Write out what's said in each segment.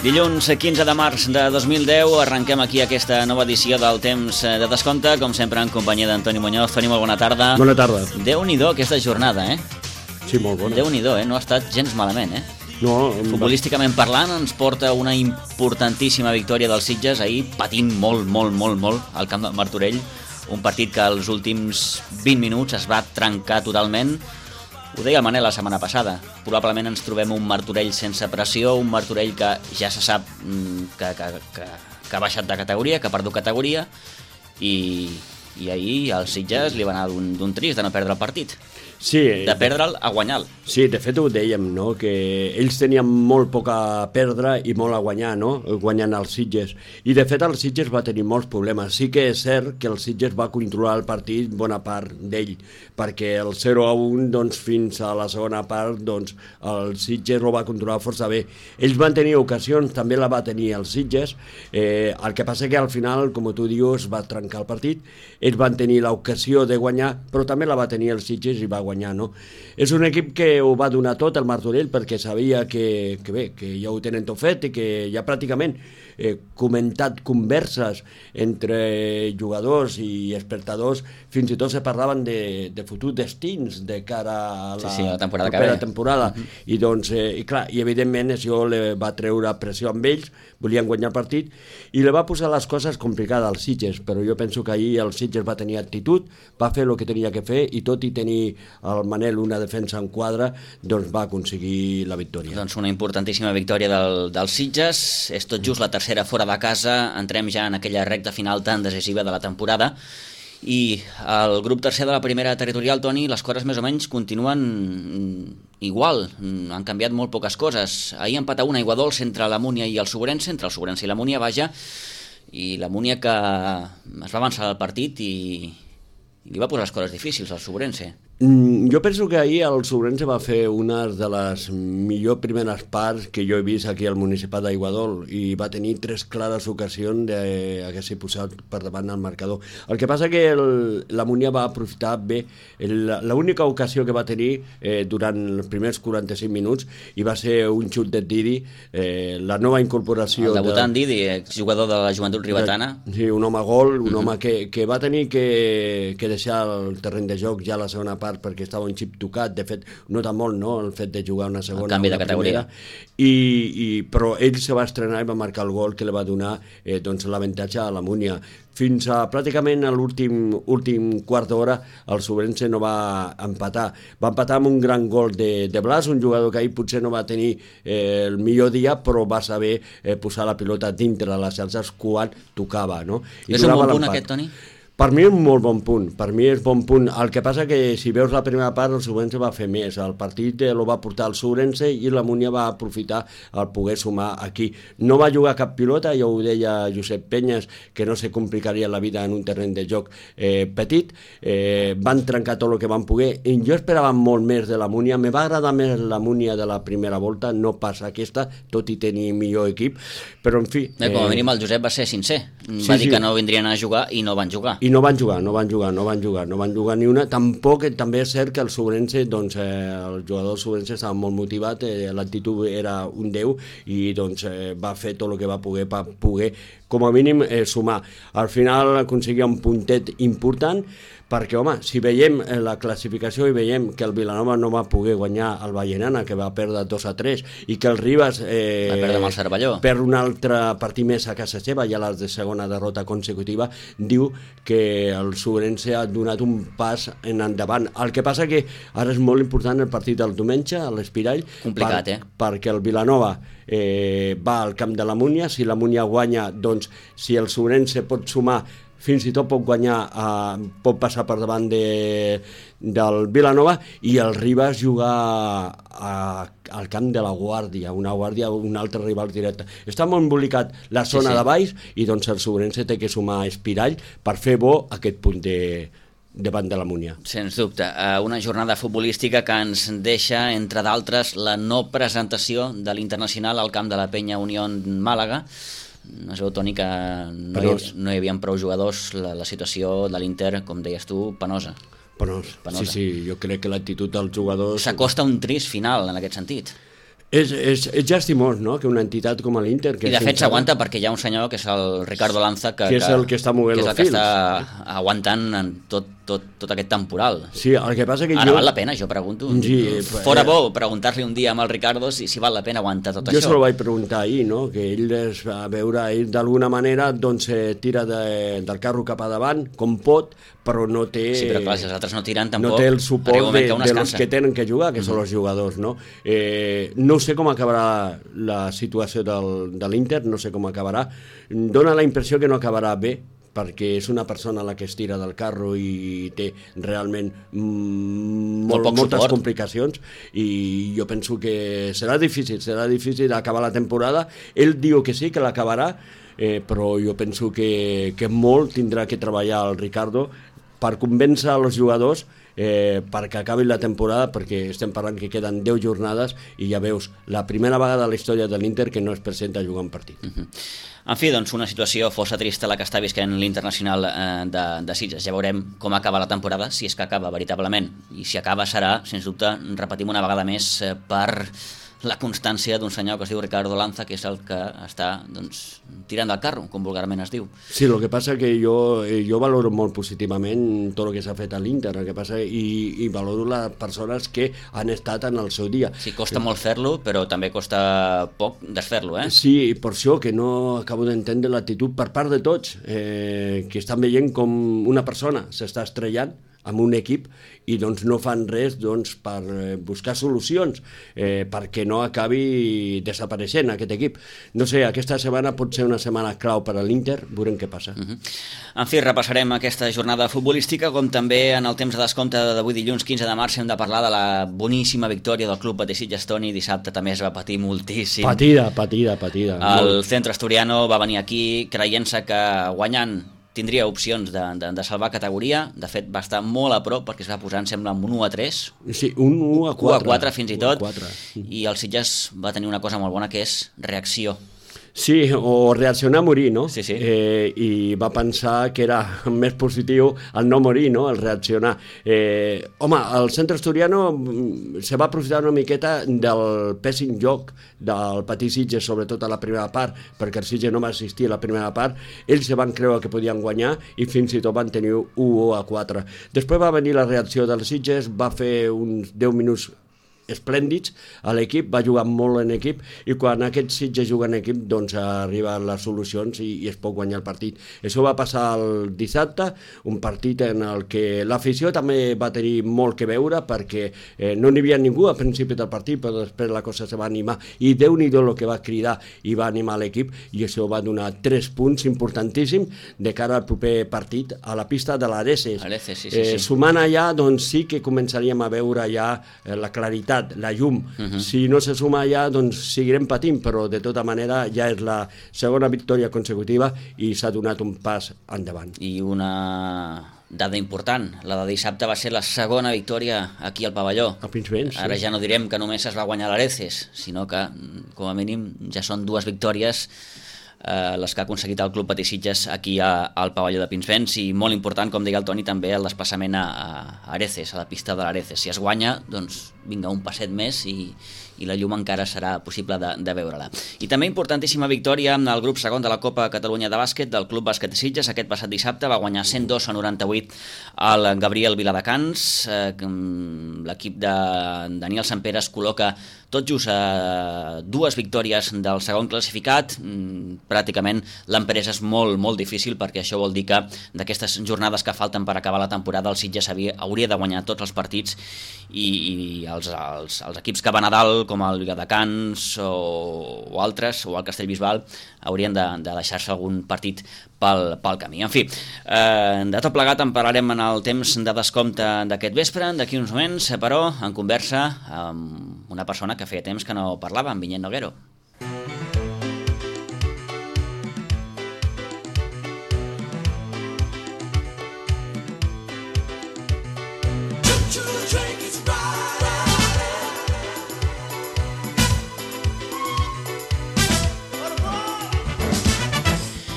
Dilluns 15 de març de 2010 arrenquem aquí aquesta nova edició del Temps de Descompte, com sempre en companyia d'Antoni Muñoz. Toni, molt bona tarda. Bona tarda. Déu-n'hi-do aquesta jornada, Sí, molt bona. Déu-n'hi-do, no ha estat gens malament, No, Futbolísticament parlant, ens porta una importantíssima victòria dels Sitges, ahir patint molt al camp del Martorell, un partit que als últims 20 minuts es va trencar totalment. Ho deia el Manel la setmana passada, probablement ens trobem un Martorell sense pressió, un Martorell que ja se sap que ha baixat de categoria, que ha perdut categoria, i ahir als Sitges li va anar d'un trist de no perdre el partit. sí, De perdre'l a guanyar-lo. sí, de fet ho dèiem, no? Que ells tenien molt poc a perdre i molt a guanyar, no? Guanyant els Sitges. I de fet el Sitges va tenir molts problemes. Sí que és cert que el Sitges va controlar el partit bona part d'ell, perquè el 0-1 doncs, fins a la segona part doncs, el Sitges ho va controlar força bé. Ells van tenir ocasions, també la va tenir els Sitges, el que passa que al final, com tu dius, va trencar el partit. Ells van tenir l'ocasió de guanyar, però també la va tenir els Sitges i va guanyar, no? És un equip que ho va donar tot, el Martorell, perquè sabia que bé, que ja ho tenen tot fet i que ja pràcticament comentat converses entre jugadors i espectadors, fins i tot se parlaven de futurs destins de cara a la temporada propera temporada. I doncs, i clar, i evidentment això li va treure pressió amb ells, volien guanyar el partit, i li va posar les coses complicades als Sitges, però jo penso que ahir el Sitges va tenir actitud, va fer el que tenia que fer, i tot i tenir el Manel una defensa en quadre, doncs va aconseguir la victòria. Doncs una importantíssima victòria dels Sitges, és tot just la tercera fora de casa, entrem ja en aquella recta final tan decisiva de la temporada, i el grup tercer de la primera territorial, Toni, les coses més o menys continuen igual, han canviat molt poques coses. Ahir empat a una aigua dolç entre la Múnia i el Sobrense, entre el Sobrense i la Múnia, vaja, i la Múnia que es va avançar al partit i li va posar les coses difícils al Sobrense. Jo penso que ahir el Sobrense va fer una de les millors primeres parts que jo he vist aquí al Municipal d'Aiguadol, i va tenir 3 clares ocasions d'haver-s'hi posat per davant el marcador. El que passa que la Múnia va aprofitar bé l'única ocasió que va tenir durant els primers 45 minuts, i va ser un xut de Didi, la nova incorporació. El debutant Didi, exjugador de la Joventut Ribetana. Sí, un home gol, un home que va tenir que deixar el terreny de joc ja a la segona part, perquè estava un xip tocat. De fet, nota molt, no?, el fet de jugar una segona, el canvi de categoria, però ell se va estrenar i va marcar el gol que li va donar doncs, l'avantatge a la Múnia. Fins a pràcticament a l'últim quart d'hora el Sobrense no va empatar. Va empatar amb un gran gol de Blas, un jugador que ahir potser no va tenir el millor dia, però va saber posar la pilota dintre de les xarxes quan tocava, no? És un bon punt aquest, Toni? Per mi és un molt bon punt, per mi és bon punt. El que passa que si veus la primera part el Sobrense va fer més, el partit el va portar el Sobrense i la Múnia va aprofitar el poder sumar aquí. No va jugar cap pilota, ja ho deia Josep Penyes, que no se complicaria la vida en un terreny de joc petit, van trencar tot el que van poder, i jo esperava molt més de la Múnia. Me va agradar més la Múnia de la primera volta, no pas aquesta, tot i tenir millor equip, però en fi... Com a mínim el Josep va ser sincer, va dir que no vindrien a jugar i no van jugar. I no van jugar ni una. Tampoc, també és cert que el Sobrense, doncs, el jugador del Sobrense estava molt motivat, l'actitud era un 10, i doncs va fer tot el que va poder per poder, com a mínim, sumar. Al final aconseguia un puntet important, perquè, home, si veiem la classificació i veiem que el Vilanova no va poder guanyar el Vallenana, que va perdre 2-3, i que el Ribas va perdre amb el Cervelló, per un altre partit més a casa seva, ja la segona derrota consecutiva, diu que el Sobrense ha donat un pas en endavant. El que passa que ara és molt important el partit del diumenge a l'Espirall, complicat, perquè el Vilanova va al camp de la Múnia. Si la Múnia guanya, doncs, si el Sobrense pot sumar, fins i tot pot guanyar, pot passar per davant del Vilanova, i el Ribas jugar al camp de la Guàrdia, un altre rival directe. Està molt embolicat la zona de baix, i doncs el Sobrense té que sumar a Espirall per fer bo aquest punt davant de la Múnia. Sens dubte, una jornada futbolística que ens deixa, entre d'altres, la no presentació de l'Internacional al camp de la Penya Unión Màlaga. Es veu, Toni, que no hi havia prou jugadors, la situació de l'Inter, com deies tu, penosa. Penós. Sí, jo crec que l'actitud dels jugadors... S'acosta un trist final, en aquest sentit. És llastimós, no?, que una entitat com l'Inter... I de fet s'aguanta perquè hi ha un senyor que és el Ricardo Lanza que és el que està movent els fils, que està aguantant en tot aquest temporal. Sí, el que passa que ara val la pena, jo pregunto. Sí, fora bo preguntar-li un dia amb el Ricardo si val la pena aguantar tot això. Jo se lo vaig preguntar ahir, no?, que ell es va veure, ell d'alguna manera doncs tira del carro cap a davant com pot, però no té... Sí, però clar, si els altres no tiren tampoc... No té el suport de los que tenen que jugar, que són els jugadors, no? No sé com acabarà la situació de l'Inter, no sé com acabarà. Dóna la impressió que no acabarà bé, perquè és una persona la que es tira del carro i té realment moltes complicacions, i jo penso que serà difícil acabar la temporada. Ell diu que sí, que l'acabarà, però jo penso que molt tindrà que treballar el Ricardo per convèncer els jugadors perquè acabin la temporada, perquè estem parlant que queden 10 jornades i ja veus, la primera vegada a la història de l'Inter que no es presenta a jugar un partit. En fi, doncs una situació força trista la que està visquent l'Internacional de Sitges. Ja veurem com acaba la temporada, si és que acaba veritablement, i si acaba serà, sens dubte, repetim una vegada més, per la constància d'un senyor que es diu Ricardo Lanza, que és el que està tirant del carro, com vulgarment es diu. Sí, el que passa que jo valoro molt positivament tot el que s'ha fet a l'Inter, el que passa, i valoro les persones que han estat en el seu dia. Sí, costa molt fer-lo, però també costa poc desfer-lo, eh? Sí, per això que no acabo d'entendre l'actitud per part de tots, que estan veient com una persona s'està estrellant amb un equip i doncs no fan res per buscar solucions perquè no acabi desapareixent aquest equip. No sé, aquesta setmana pot ser una setmana clau per a l'Inter, veurem què passa. En fi, repassarem aquesta jornada futbolística, com també en el temps de descompte d'avui dilluns 15 de març hem de parlar de la boníssima victòria del Club Patí Sitges. Toni, dissabte també es va patir moltíssim. Patida. El Centro Asturiano va venir aquí creient-se que guanyant tindria opcions de salvar categoria. De fet, va estar molt a prop perquè es va posar, em sembla, amb un 1-3. Sí, un 1-4. 1-4 fins i tot. I el Sitges va tenir una cosa molt bona, que és reacció. Sí, o reaccionar a morir, no? Sí. I va pensar que era més positiu el no morir, no?, el reaccionar. Home, el Centre Asturiano se va aprofitar una miqueta del pèssim joc del Patí Sitges, sobretot a la primera part, perquè el Sitges no va assistir a la primera part. Ells se van creure que podien guanyar i fins i tot van tenir 1-4. Després va venir la reacció del Sitges, va fer uns 10 minuts esplèndids a l'equip, va jugar molt en equip, i quan aquest Sitges juga en equip doncs arriben les solucions i es pot guanyar el partit. Això va passar el dissabte, un partit en el que l'afició també va tenir molt que veure, perquè no n'hi havia ningú al principi del partit, però després la cosa se va animar i Déu-n'hi-do el que va cridar i va animar l'equip, i això va donar 3 punts importantíssims de cara al proper partit a la pista de l'Areces. Sí. Sumant allà doncs sí que començaríem a veure ja la claritat, la llum. Si no se suma allà, doncs seguirem patint, però de tota manera ja és la segona victòria consecutiva i s'ha donat un pas endavant. I una dada important, la de dissabte va ser la segona victòria aquí al pavelló. A Pinsbens, sí. Ara ja no direm que només es va guanyar l'Areces, sinó que com a mínim ja són 2 victòries les que ha aconseguit el Club Patí Sitges aquí al pavelló de Pinsbens, i molt important, com deia el Toni, també el desplaçament a Areces, a la pista de l'Areces. Si es guanya, doncs vinga, un passet més i la llum encara serà possible de veure-la. I també importantíssima victòria en el grup segon de la Copa Catalunya de bàsquet del Club Bàsquet Sitges. Aquest passat dissabte va guanyar 102-98 al Gabriel Viladecans. L'equip de Daniel Sampere es col·loca tot just a 2 victòries del segon classificat. Pràcticament l'empresa és molt, molt difícil, perquè això vol dir que d'aquestes jornades que falten per acabar la temporada el Sitges hauria de guanyar tots els partits, i els equips que van a dalt, com el Viladecans o altres, o el Castellbisbal, haurien de deixar-se algun partit pel camí. En fi, de tot plegat en parlarem en el temps de descompte d'aquest vespre, d'aquí uns moments, però en conversa amb una persona que feia temps que no parlava, amb Vinyet Noguero.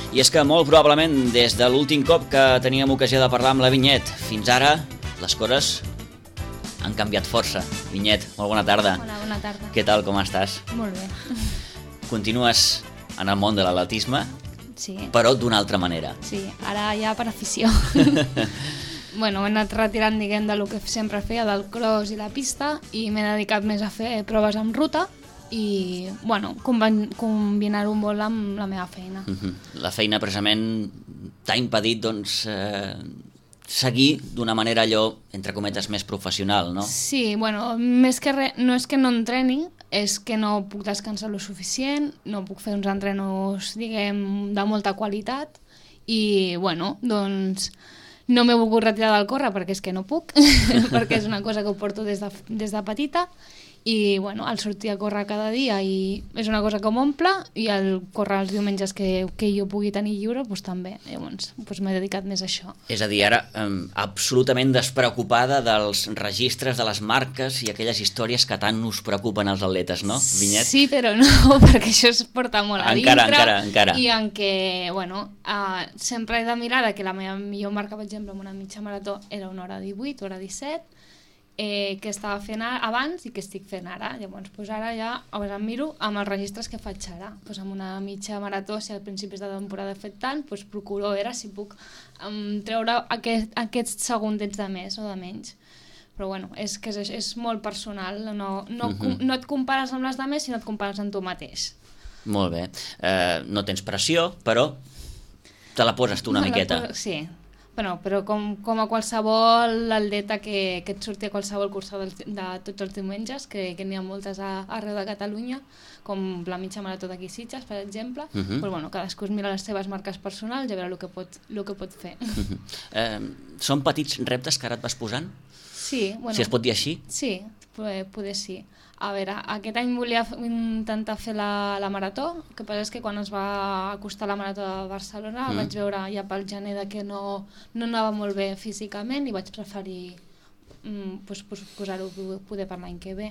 I és que molt probablement des de l'últim cop que teníem ocasió de parlar amb la Vinyet fins ara les coses han canviat força. Vinyet, molt bona tarda. Hola, bona tarda. Què tal, com estàs? Molt bé. Continues en el món de l'atletisme, Sí, però d'una altra manera. sí, ara ja per afició. Bueno, m'he anat retirant, diguem, del que sempre feia, del cross i la pista, i m'he dedicat més a fer proves amb ruta i, bueno, combinar-ho molt amb la meva feina. La feina precisament t'ha impedit, doncs, seguir d'una manera allò, entre cometes, més professional, no? Sí, bueno, més que res, no és que no entreni, és que no puc descansar lo suficient, no puc fer uns entrenos, diguem, de molta qualitat i, bueno, doncs no m'he volgut retirar del córrer perquè és que no puc, perquè és una cosa que ho porto des de petita i, bueno, el sortir a córrer cada dia i és una cosa que m'omple i el córrer els diumenges que jo pugui tenir lliure, doncs també. Llavors, doncs m'he dedicat més a això. És a dir, ara absolutament despreocupada dels registres de les marques i aquelles històries que tant us preocupen als atletes, no, Vinyet? Sí, però no, perquè això es porta molt a Encara. I en què, bueno, sempre he de mirar que la meva millor marca, per exemple, en una mitja marató era 1h18, 1h17, que estava fent abans i que estic fent ara. Llavors, doncs ara ja em miro amb els registres que faig ara. Doncs amb una mitja marató, si al principis de temporada he fet tant, doncs procuro veure si puc treure aquests segundets de més o de menys. Però bueno, és que és molt personal, no et compares amb les de més, sinó et compares amb tu mateix. Molt bé. No tens pressió, però te la poses tu una miqueta. Sí. Bueno, però com a qualsevol atleta que et surti a qualsevol cursa de tots els diumenges, que n'hi ha moltes arreu de Catalunya, com la mitja marató d'aquí Sitges, per exemple, però bueno, cadascú es mira les seves marques personals i a veure el que pot fer. Són petits reptes que ara et vas posant? Sí. Bueno, si es pot dir així? Sí, poder sí. A veure, aquest any volia intentar fer la marató, el que passa és que quan es va acostar la marató de Barcelona vaig veure ja pel gener que no anava molt bé físicament i vaig preferir posar-ho poder per l'any que ve.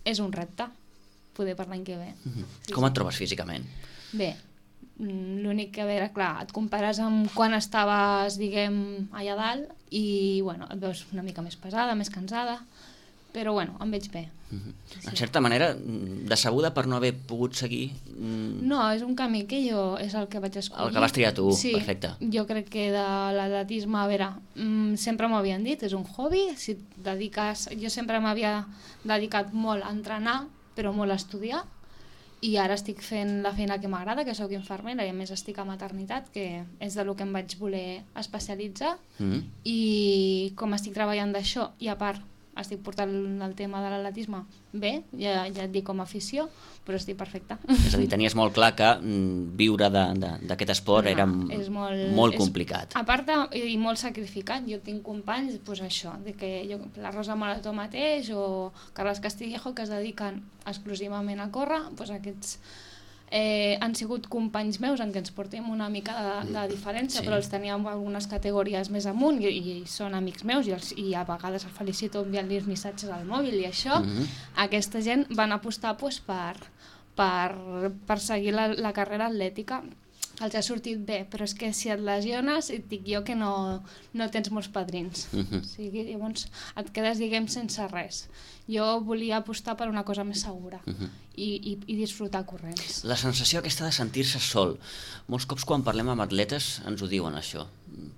És un repte, poder per l'any que ve. Com et trobes físicament? Bé, l'únic que, a veure, clar, et compares amb quan estaves, diguem, allà dalt i, bueno, et veus una mica més pesada, més cansada, però, bueno, em veig bé. En certa manera, decebuda per no haver pogut seguir... No, és un camí que és el que vaig escollir. El que vas triar tu, sí, perfecte. Jo crec que de l'atletisme, a veure, sempre m'ho havien dit, és un hobby, si et dediques... Jo sempre m'havia dedicat molt a entrenar, però molt a estudiar, i ara estic fent la feina que m'agrada, que sóc infermera, i a més estic a maternitat, que és de lo que em vaig voler especialitzar, i com estic treballant d'això, i a part estic portant el tema de l'atletisme bé, ja et dic com a afició, però estic perfecta. És a dir, tenies molt clar que viure d'aquest esport era molt complicat. A part i molt sacrificat, jo tinc companys, doncs això, que la Rosa Marató mateix o Carles Castillejo, que es dediquen exclusivament a córrer, doncs aquests han sigut companys meus en què ens portem una mica de diferència, però els teníem algunes categories més amunt i són amics meus i a vegades el felicito enviant-los missatges al mòbil i això. Aquesta gent van apostar per seguir la carrera atlètica. Els ha sortit bé, però és que si et lesiones et dic jo que no tens molts padrins. O sigui, llavors et quedes, diguem, sense res. Jo volia apostar per una cosa més segura i disfrutar corrents. La sensació aquesta de sentir-se sol. Molts cops quan parlem amb atletes ens ho diuen això.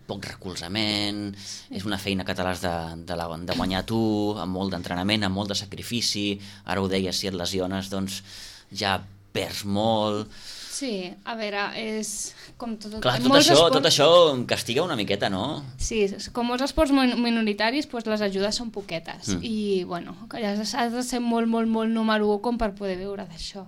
Poc recolzament, és una feina que te l'has de guanyar tu, amb molt d'entrenament, amb molt de sacrifici. Ara ho deies, si et lesiones, doncs ja perds molt... Sí, a veure, és com tot... Clar, tot això castiga una miqueta, no? Sí, com molts esports minoritaris, doncs les ajudes són poquetes. I, bueno, has de ser molt, molt, molt número 1 com per poder viure d'això.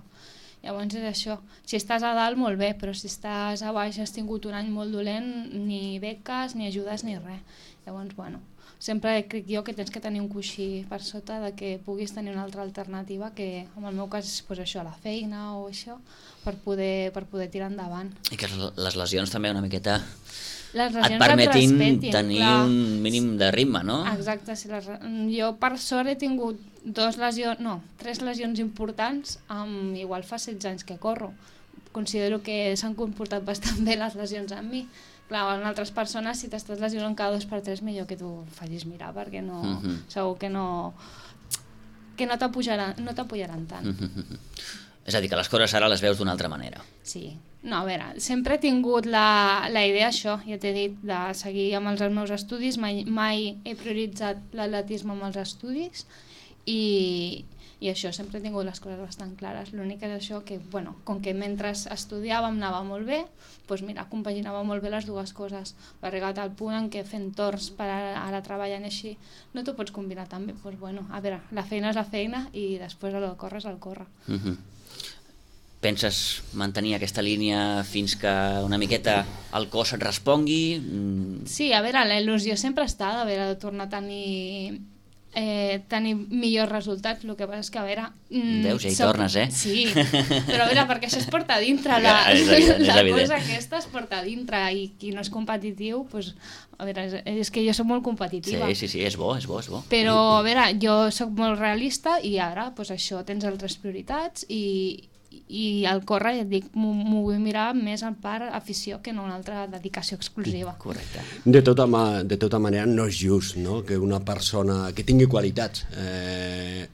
Llavors és això. Si estàs a dalt, molt bé, però si estàs a baix, has tingut un any molt dolent, ni beques, ni ajudes, ni res. Llavors, bueno, sempre crec jo que tens que tenir un coixí per sota de que puguis tenir una altra alternativa que, en el meu cas, és això, la feina o això, per poder tirar endavant. I que les lesions també una miqueta et permetin tenir un mínim de ritme, no? Exacte. Jo, per sort, he tingut 3 lesions importants, igual fa 16 anys que corro. Considero que s'han comportat bastant bé les lesions amb mi. Clar, en altres persones, si t'estàs lesionant cada 2 per 3, millor que tu facis mirar, perquè no, segur que no t'apujaran tant. És a dir, que les coses ara les veus d'una altra manera. Sí. No, a veure, sempre he tingut la idea, això, ja t'he dit, de seguir amb els meus estudis, mai he prioritzat l'atletisme amb els estudis i això, sempre he tingut les coses bastant clares. L'únic és això que, bueno, com que mentre estudiàvem anava molt bé, doncs mira, compaginava molt bé les dues coses. Va arribat al punt en què fent torns per ara treballant així, no t'ho pots combinar tan bé. Doncs bueno, a veure, la feina és la feina i després el córrer és el córrer. Penses mantenir aquesta línia fins que una miqueta el cos et respongui? Sí, a veure, la il·lusió sempre està de tornar a tenir millors resultats. El que passa és que, a veure... Veus, ja hi tornes, eh? Sí, però a veure, perquè això es porta a dintre, la cosa aquesta es porta a dintre, i qui no és competitiu, doncs, a veure, és que jo soc molt competitiva. Sí, és bo. Però, a veure, jo soc molt realista i ara, doncs això, tens altres prioritats i al córrer, ja et dic, m'ho vull mirar més en part afició que no una altra dedicació exclusiva. Correcte. De tota manera, no és just, no?, que una persona que tingui qualitats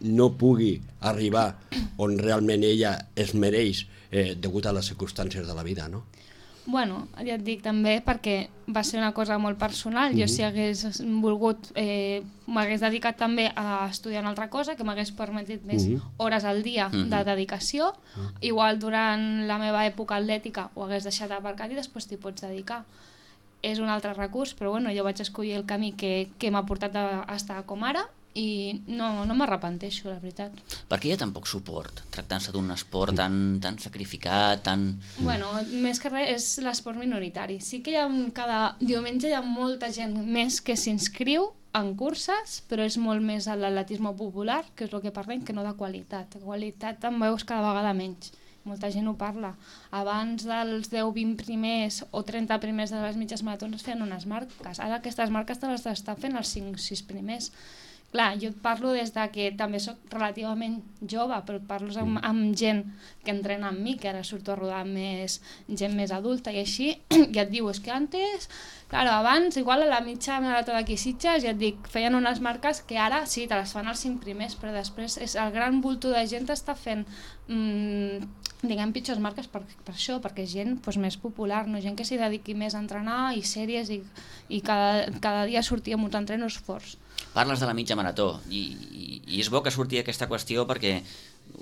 no pugui arribar on realment ella es mereix degut a les circumstàncies de la vida, no? Bueno, ja et dic també perquè va ser una cosa molt personal. Jo si hagués volgut m'hagués dedicat també a estudiar una altra cosa que m'hagués permetit més hores al dia de dedicació. Igual durant la meva època atlètica ho hagués deixat aparcat i després t'hi pots dedicar. És un altre recurs, però bueno, jo vaig escollir el camí que m'ha portat a estar com ara i no m'arrepenteixo, la veritat. Per què hi ha tan poc suport, tractant-se d'un esport tan sacrificat, tan... Bueno, més que res és l'esport minoritari. Sí que cada diumenge hi ha molta gent més que s'inscriu en curses, però és molt més a l'atletisme popular, que és el que parlem, que no de qualitat. De qualitat en veus cada vegada menys. Molta gent ho parla. Abans dels 10-20 primers o 30 primers de les mitges maratons es feien unes marques. Ara aquestes marques te les estan fent els 5-6 primers. Clar, jo et parlo des de que també soc relativament jove, però parlo amb gent que entrena amb mi, que ara surto a rodar amb gent més adulta i així, ja et diu, és que antes, claro, abans, igual a la mitja marató d'aquí Sitges, ja et dic, feien unes marques que ara sí, te les fan els 5 primers, però després el gran bulto de gent està fent, diguem, pitjors marques per això, perquè és gent més popular, no? Gent que s'hi dediqui més a entrenar i sèries i cada dia sortir amb uns entrenos forts. Parles de la mitja marató i és bo que surti aquesta qüestió perquè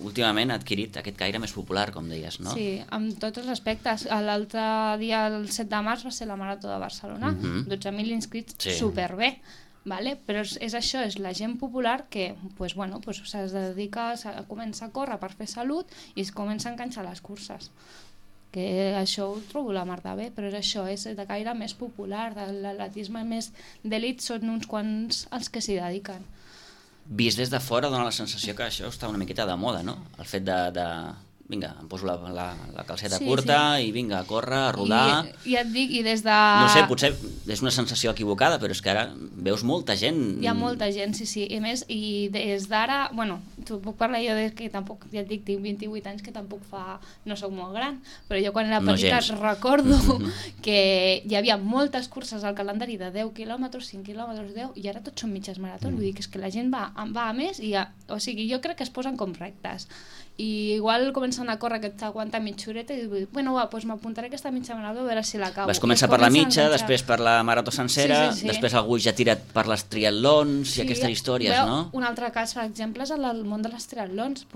últimament ha adquirit aquest caire més popular, com deies, no? Sí, amb tots els aspectes. L'altre dia, el 7 de març, va ser la marató de Barcelona, 12.000 inscrits, superbé, vale? Però és això, és la gent popular que es dedica a començar a córrer per fer salut i es comença a enganxar les curses. Que això ho trobo la mar de bé, però és això, és de caire més popular, l'atletisme més d'elit són uns quants els que s'hi dediquen. Vist des de fora dona la sensació que això està una miqueta de moda, no? El fet de vinga, em poso la calceta curta i vinga, a córrer, a rodar... I ja et dic, i des de... No sé, potser és una sensació equivocada, però és que ara veus molta gent... Hi ha molta gent, sí. I més, i des d'ara... Bueno, t'ho puc parlar jo des que tampoc, ja et dic, tinc 28 anys, que tampoc fa... No soc molt gran, però jo quan era petita recordo que hi havia moltes curses al calendari de 10 quilòmetres, 5 quilòmetres, 10, i ara tots són mitges maratons. Vull dir que és que la gent va a més i... O sigui, jo crec que es posen com rectes. I igual comencen a córrer que t'aguanta mitja horeta i dius, bueno, doncs m'apuntaré aquesta mitja marató a veure si l'acabo. Vas començar per la mitja, després per la marató sencera, després algú ja tira per les triatlons i aquestes històries, no? Un altre cas, per exemple, és el món de les triatlons,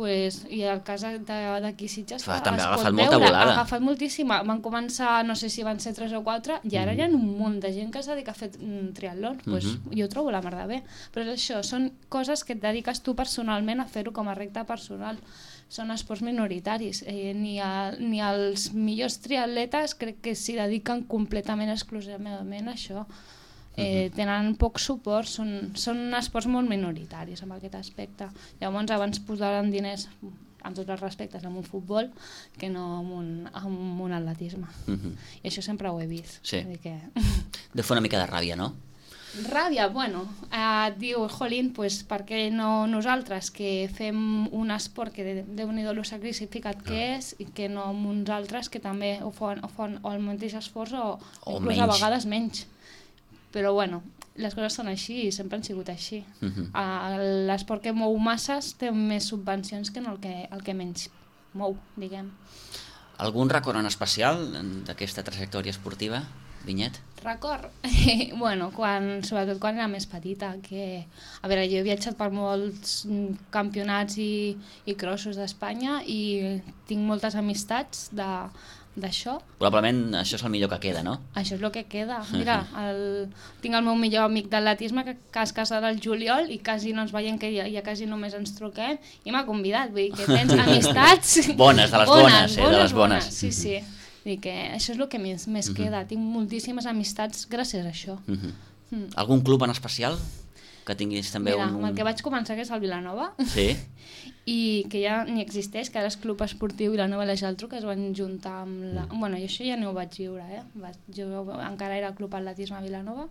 i el cas d'aquí Sitges també ha agafat molta volada. Ha agafat moltíssima. Van començar, no sé si van ser 3 o 4, i ara hi ha un munt de gent que es dedica a fer triatlons. Jo ho trobo la mar de bé. Però és això, són coses que et dediques tu personalment a fer-ho com a repte personal. Són esports minoritaris. Ni els millors triatletes crec que s'hi dediquen completament, exclusivament a això. Tenen poc suport, són esports molt minoritaris en aquest aspecte. Llavors abans posaran diners, amb tots els respectes, en un futbol que no en un atletisme. I això sempre ho he vist. Sí. Deu fer una mica de ràbia, no? Ràbia, bueno, diu, jolín, pues, per què no nosaltres, que fem un esport que Déu-n'hi-do lo sacrificat que és, i que no amb uns altres que també ho fan o el mateix esforç o inclús a vegades menys. Però bueno, les coses són així i sempre han sigut així. L'esport que mou masses té més subvencions que el que menys mou, diguem. Algun record en especial d'aquesta trajectòria esportiva, Vinyet? Record? Bueno, sobretot quan era més petita, que... A veure, jo he viatjat per molts campionats i crossos d'Espanya i tinc moltes amistats d'això. Probablement això és el millor que queda, no? Això és el que queda. Mira, tinc el meu millor amic d'atletisme que es casarà al juliol i quasi no ens veiem, que ja quasi només ens truquem, i m'ha convidat, vull dir que tens amistats... Bones, de les bones, de les bones. Sí, sí. Vull dir que això és el que més queda. Tinc moltíssimes amistats gràcies a això. Algun club en especial? Que tinguis també Mira, amb el que vaig començar, que és el Vilanova, sí. I que ja ni existeix, que ara és Club Esportiu Vilanova i la Geltrú, que es van juntar amb la... Bueno, jo això ja no ho vaig viure, Jo encara era Club Atletisme Vilanova.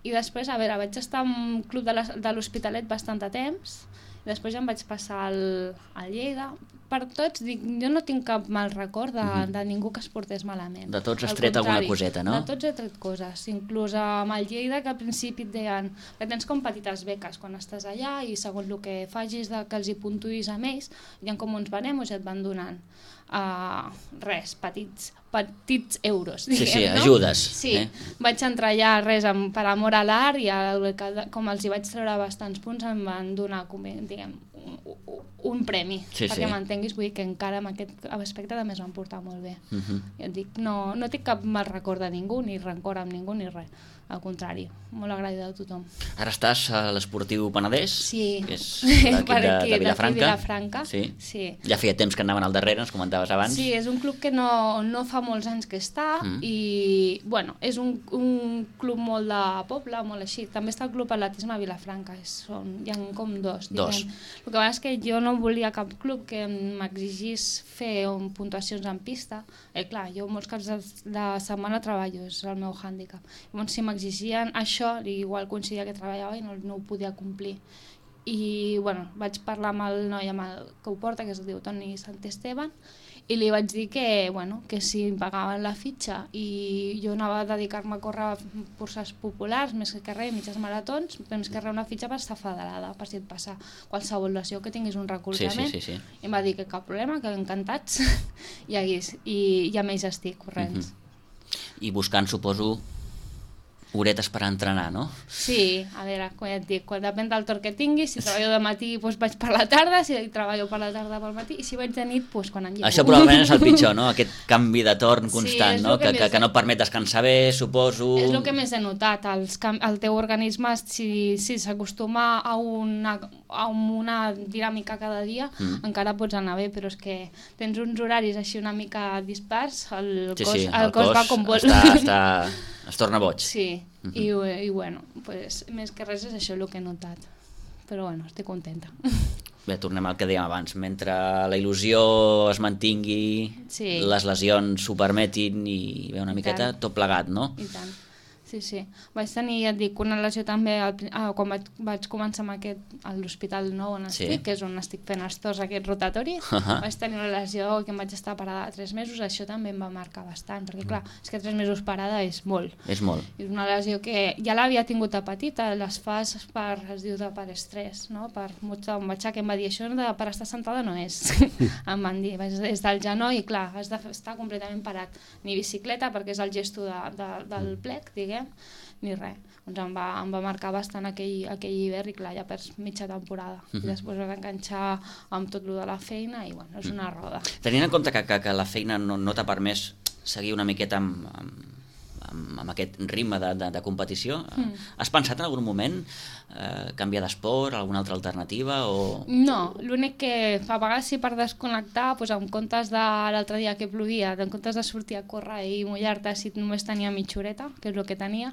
I després, a veure, vaig estar en un club de l'Hospitalet bastant de temps, i després ja em vaig passar al Lleida. Per tots, dic, jo no tinc cap mal record de ningú que es portés malament. De tots has tret alguna coseta, no? De tots he tret coses, inclús amb el Lleida, que al principi et deien que tens com petites beques quan estàs allà i segons el que facis que els hi puntuïs amb ells, hi ha com uns baremos i et van donant res, petits euros, diguem, sí, no? ajudes. Sí, vaig entrar allà per amor a l'art i com els hi vaig treure bastants punts em van donar, diguem, un premi, perquè m'entenguis, vull dir que encara en aquest aspecte també es van portar molt bé. Ja et dic, no tinc cap mal record de ningú, ni rancor amb ningú, ni res. Al contrari, molt agraïda a tothom. Ara estàs a l'Esportiu Penedès, que és l'equip de Vilafranca. Sí. Ja feia temps que anaven al darrere, ens comentaves abans. Sí, és un club que no fa molts anys que està i, bueno, és un club molt de poble, molt així. També està el Club Atletisme Vilafranca, hi ha com dos. El que passa és que jo no volia cap club que m'exigís fer puntuacions en pista. Clar, jo molts caps de setmana treballo, és el meu hàndicap. Llavors, si m'exigien això, igual coincidia que treballava i no ho podia complir. I, bueno, vaig parlar amb el noi que ho porta, que es diu Toni Santesteban, i li vaig dir que si em pagaven la fitxa i jo anava a dedicar-me a córrer curses populars, més que res, mitges maratons, més que res una fitxa per estar federada, per si et passa qualsevol lesió que tinguis un recolzament. Sí. I em va dir que cap problema, que encantats, i amb ells estic corrents. I buscant, suposo, horetes per entrenar, no? Sí, a veure, com ja et dic, depèn del torn que tinguis, si treballo de matí doncs vaig per la tarda, si treballo per la tarda pel matí, i si vaig de nit doncs quan em llevo. Això probablement és el pitjor, no? Aquest canvi de torn constant, no? Que no et permet descansar bé, suposo... És el que més he notat, el teu organisme, si s'acostuma a una dinàmica cada dia, encara pots anar bé, però és que tens uns horaris així una mica dispars, el cos va com vol. Es torna boig. Sí, i bueno, pues, més que res és això el que he notat. Però bueno, estic contenta. Bé, tornem al que dèiem abans. Mentre la il·lusió es mantingui, les lesions ho permetin i ve una miqueta tot plegat, no? I tant. Sí. Vaig tenir, ja et dic, una lesió també quan vaig començar amb a l'Hospital Nou on estic, que és on estic fent els torns aquest rotatori. Vaig tenir una lesió que em vaig estar parada 3 mesos, això també em va marcar bastant, perquè clar, és que 3 mesos parada és molt. És molt. És una lesió que ja l'havia tingut de petita, les fas es diu per estrès, no? Em vaig que em va dir, això per estar sentada no és. Em van dir, és del genoll i clar, has d'estar completament parat. Ni bicicleta, perquè és el gesto del plec, diguem, ni res. Doncs em va marcar bastant aquell hivern i clar, ja perds mitja temporada. I després vas enganxar amb tot lo de la feina i bueno, és una roda. Tenint en compte que la feina no t'ha permès seguir una miqueta amb aquest ritme de competició, has pensat en algun moment canviar d'esport, alguna altra alternativa? No, l'únic que a vegades sí per desconnectar, doncs en comptes de l'altre dia que plovia, en comptes de sortir a córrer i mullar-te si només tenia mitja horeta, que és el que tenia,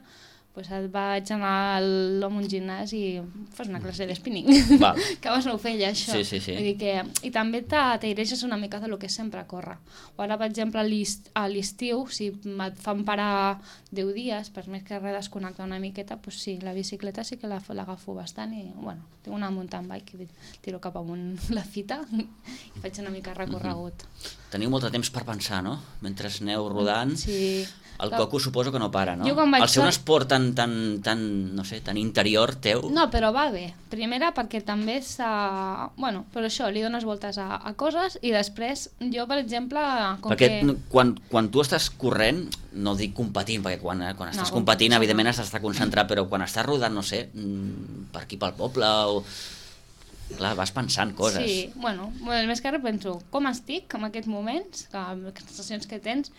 pues et vaig anar a un gimnàs i fas una classe de spinning. Val. Que abans no ho feia, això. Sí. Vull dir que... I també t'aireixes una mica del que és sempre córrer. O ara, per exemple, a l'estiu, si et fan parar 10 dies, per més que res desconnectar una miqueta, pues sí, la bicicleta sí que l'agafo bastant i, bueno, tinc una mountain bike i tiro cap amunt la fita i faig una mica recorregut. Teniu molt de temps per pensar, no? Mentre aneu rodant. Sí. El coco suposo que no para, no? Jo quan vaig Al ser un esport tan, no sé, tan interior teu... No, però va bé. Primera perquè també bueno, però això, li dones voltes a coses i després jo, per exemple... Perquè quan tu estàs corrent, no dic competint, perquè quan estàs competint evidentment has d'estar concentrat, però quan estàs rodant, no sé, per aquí pel poble o... Clar, vas pensant coses. Sí, bueno, més que res penso com estic en aquests moments, les sensacions que tens.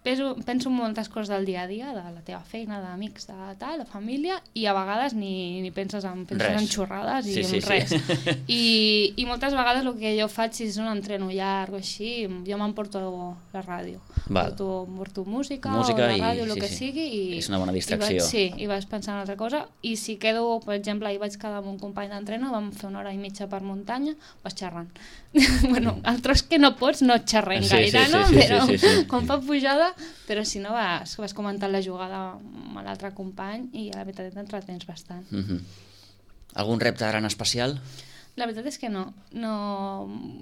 Penso en moltes coses del dia a dia, de la teva feina, d'amics, de família, i a vegades ni penses en xorrades i en res. I moltes vegades el que jo faig, si és un entreno llarg o així, jo m'emporto la ràdio. Porto música o la ràdio, el que sigui. És una bona distracció. I vaig pensar en una altra cosa. I si quedo, per exemple, ahir vaig quedar amb un company d'entreno, vam fer 1 hora i mitja per muntanya, vas xerrant. Bueno, el tros que no pots no xerrem gaire, no? Però quan fa pujada, però si no vas comentant la jugada amb l'altre company i a la veritat t'entretens bastant. Algun repte ara en especial? La veritat és que no.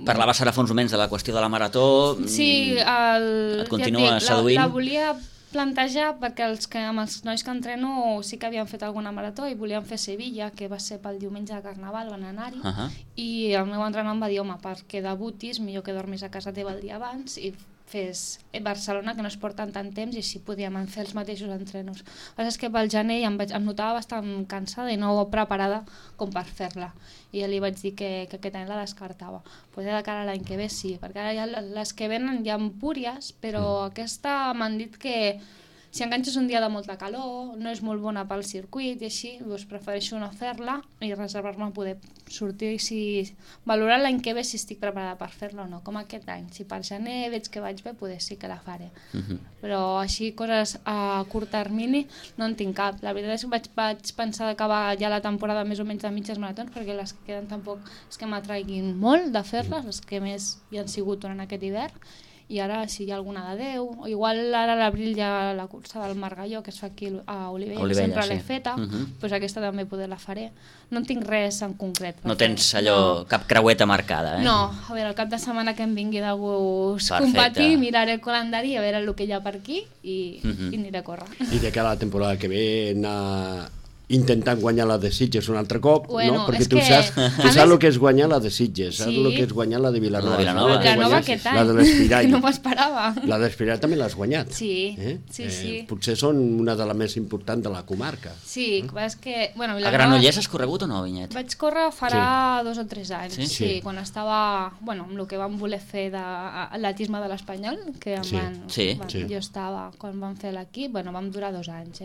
Parlaves ara fa uns moments de la qüestió de la marató. Sí, et continua seduint? La volia plantejar perquè amb els nois que entreno sí que havien fet alguna marató i volien fer Sevilla, que va ser pel diumenge de Carnaval, van anar-hi, i el meu entrenador em va dir, home, perquè debutis, millor que dormis a casa teva el dia abans i fes Barcelona, que no es porten tant temps, i així podíem fer els mateixos entrenos. El que és que pel gener em notava bastant cansada i no preparada com per fer-la. I ja li vaig dir que aquest any la descartava. Potser de cara a l'any que ve sí, perquè ara ja les que venen hi ha empúries, però aquesta m'han dit que si enganxes un dia de molta calor, no és molt bona pel circuit i així, doncs prefereixo no fer-la i reservar-me a poder sortir i valorar l'any que ve si estic preparada per fer-la o no, com aquest any. Si per gener veig que vaig bé, potser sí que la faré. Però així, coses a curt termini, no en tinc cap. La veritat és que vaig pensar d'acabar ja la temporada més o menys de mitges maratons, perquè les que queden tampoc és que m'atraiguin molt de fer-les, les que més hi han sigut durant aquest hivern. I ara, si hi ha alguna de 10, o igual ara a l'abril hi ha la cursa del Margalló, que es fa aquí a Olivella, que sempre l'he feta, doncs aquesta també poder la faré. No en tinc res en concret. No tens allò, cap creueta marcada, eh? No, a veure, el cap de setmana que em vingui de gust competir, miraré el calendari, a veure el que hi ha per aquí i aniré a córrer. I de cara a la temporada que ve anar intentant guanyar la de Sitges un altre cop, bueno, no? Perquè tu saps el que és guanyar la de Sitges, saps el que és guanyar la de Vilanova. Vilanova aquest any, la de l'Espirall. No m'ho esperava. La de l'Espirall també l'has guanyat. Sí, sí. Potser són una de les més importants de la comarca. Sí, és que... Bueno, a Granollers has corregut o no, Vinyet? Vaig córrer farà 2 o 3 anys, sí, quan estava, bueno, amb el que vam voler fer d'atletisme de l'Espanyol, que jo estava, quan vam fer l'equip, bueno, vam durar 2 anys,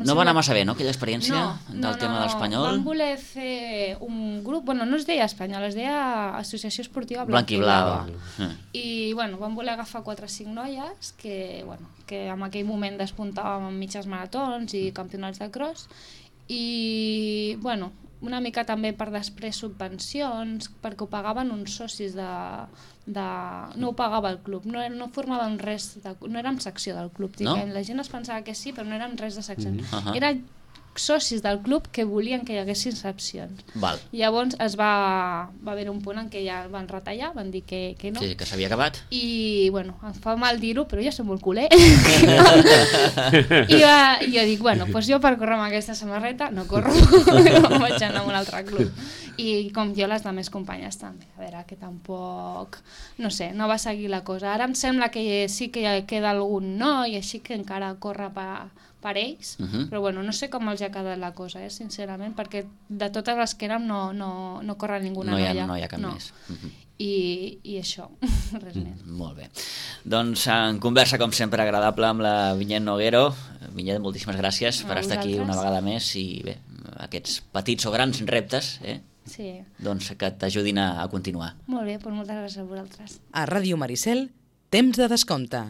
No va anar massa bé, no, aquella experiència? Del tema de l'Espanyol? Vam voler fer un grup, bueno, no es deia Espanyol, es deia Associació Esportiva Blanc i Blava. I, bueno, vam voler agafar 4 o 5 noies que en aquell moment despuntàvem en mitges maratons i campionats de cross i, bueno, una mica també per després subvencions, perquè ho pagaven uns socis no ho pagava el club, no formàvem res, no érem secció del club, la gent es pensava que sí, però no érem res de secció. Eren socis del club que volien que hi haguessin excepcions. Llavors va haver un punt en què ja van retallar, van dir que no. Sí, que s'havia acabat. I, bueno, em fa mal dir-ho, però jo soc molt culer. I jo dic, bueno, doncs jo per córrer amb aquesta samarreta no corro, no vaig anar a un altre club. I com jo les altres companyes també. A veure, que tampoc... No sé, no va seguir la cosa. Ara em sembla que sí que queda algun noi, així que encara corre per ells, però bueno, no sé com els ha quedat la cosa, sincerament, perquè de totes les que érem no corre ninguna noia. No hi ha cap més. I això, res més. Molt bé. Doncs en conversa, com sempre, agradable amb la Vinyet Noguero. Vinyet, moltíssimes gràcies per estar aquí una vegada més i bé, aquests petits o grans reptes, doncs que t'ajudin a continuar. Molt bé, doncs moltes gràcies a vosaltres. A Ràdio Maricel, temps de descompte.